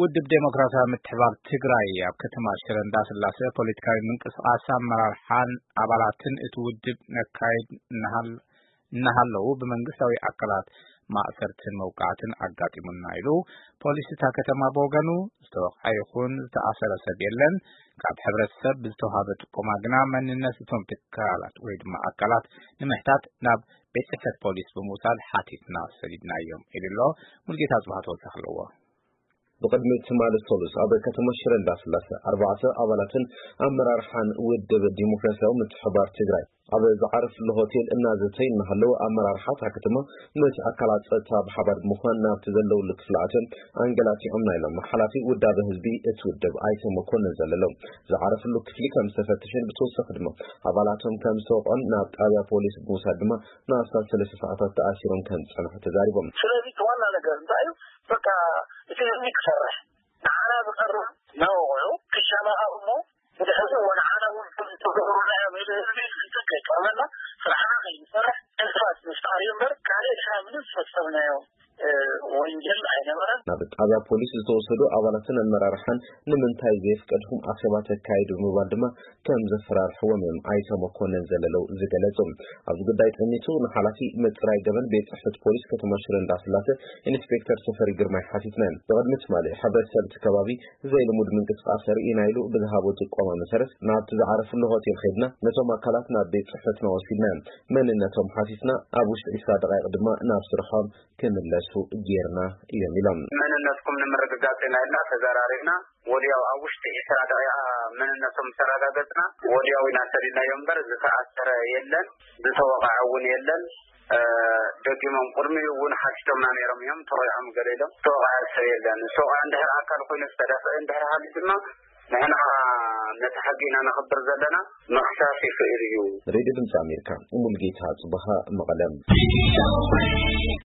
ውድብ ዴሞክራሲያዊ ምትሕባር ትግራይ ኣብ ከተማ ሽረ እንዳስላሴ ፖለቲካዊ ምንቅስቃስ ኣመራርሓን ኣባላትን እቲ ውድብ ነካይድ እናሃለዉ ብመንግስታዊ ኣካላት ማእሰርትን መውቃዕትን ኣጋጢሙና ኢሉ። ፖሊስ እታ ከተማ ብወገኑ ዝተወቕዐ ይኹን ዝተኣሰረ ሰብ የለን። ካብ ሕብረተሰብ ብዝተዋሃበ ጥቆማ ግና መንነት እቶም ትካላት ወይ ድማ ኣካላት ንምሕታት ናብ ቤት ጽሕፈት ፖሊስ ብምውሳድ ሓቲትና ሰዲድናዮም ኢሉ ኣሎ። ሙልጌታ ጽባህ ተወሳኺ ኣለዎ። ብቕድሚ ትማሊ ሰሉስ ኣብ ከተማ ሽረ እንዳስላሰ ኣርባዕተ ኣባላትን ኣመራርሓን ውድብ ዲሞክራሲያዊ ምትሕባር ትግራይ ኣብ ዝዓረፍሉ ሆቴል እናዘተዩ እናሃለዉ ኣመራርሓ እታ ከተማ ምስ ኣካላት ጸጥታ ብሓባር ብምዃን ናብቲ ዘለውሉ ክፍሊ ኣትዮም ኣንገላቲዖምና ኢሎም ሓላፊ ውዳበ ህዝቢ እቲ ውድብ ኣይተ መኮንን ዘለለው ዝዓረፍሉ ክፍሊ ከም ዝተፈተሸን ብተወሳኺ ድማ ኣባላቶም ከም ዝተወቕዑን ናብ ጣብያ ፖሊስ ብምውሳድ ድማ ንኣስታት ሰለስተ ሰዓታት ተኣሲሮም ከም ዝጸንሑ ተዛሪቦም። ስለዚ እቲ ዋና ነገር እንታይ እዩ? በቃ እቲ ህዝቢ ክሰርሕ ንዓና ዝቐርብ መወቕዑ ክሻማቕ እሞ ብድሕሪኡ ንዓና እውን ከም ዝተገብሩና እዮም ኢሉ ህዝቢ ፍልጠት ከይቀርበና ስራሕና ከይንሰርሕ ዕንቅፋት ምፍጣር እዩ እምበር ካልእ ንሕና ምንም ዝፈጸምናዮ ወንጀል ኣይነበረን። ናብ ጣብያ ፖሊስ ዝተወሰዱ ኣባላትን ኣመራርሓን ንምንታይ ዘየፍቀድኩም ኣኼባ ተካይዱ ብምባል ድማ ከም ዘፈራርሕዎም እዮም ኣይተ መኮንን ዘለለው ዝገለጹ። ኣብዚ ጉዳይ ጠሚቱ ንሓላፊ ምጽራይ ገበን ቤት ጽሕፈት ፖሊስ ከተማ ሽረ እንዳስላሰ ኢንስፔክተር ተፈሪ ግርማይ ሓቲትና። ብቕድሚ ትማሊ ሕብረተሰብ እቲ ከባቢ ዘይልሙድ ምንቅስቃስ ርኢና ኢሉ ብዝሃቦ ጥቆማ መሰረት ናብቲ ዝዓረፍሉ ሆቴል ከይድና ነቶም ኣካላት ናብ ቤት ጽሕፈትና ወሲድና መንነቶም ሓቲትና ኣብ ውሽጢ ዕስራ ደቃይቕ ድማ ናብ ስርሖም ክምለሱ ጌርና እዮም ኢሎም። መንነትኩም ንምርግጋጽ ኢና ኢልና ተዘራሪብና ወዲያው ኣብ ውሽጢ ዕስራ ደቂቃ መንነቶም ተረጋገጽና ወዲያው ኢና ሰዲድናዮም እምበር ዝተኣሰረ የለን፣ ዝተወቕዐ እውን የለን። ደጊሞም ቅድሚኡ እውን ሓቲቶምና ነይሮም እዮም። ተወቂዖም ገለ ኢሎም ዝተወቕዐ ሰብ የለን። ዝተወቕዐ እንድሕር ኣካል ኮይኑ ዝተደፍአ እንድሕር ሃልዩ ድማ ንሕና ነቲ ሕጊ ኢና ነኽብር ዘለና። ምኽሳስ ይኽእል እዩ። ሬድዮ ድምፂ ኣሜሪካ ሙልጌታ ጽበሃ መቐለም።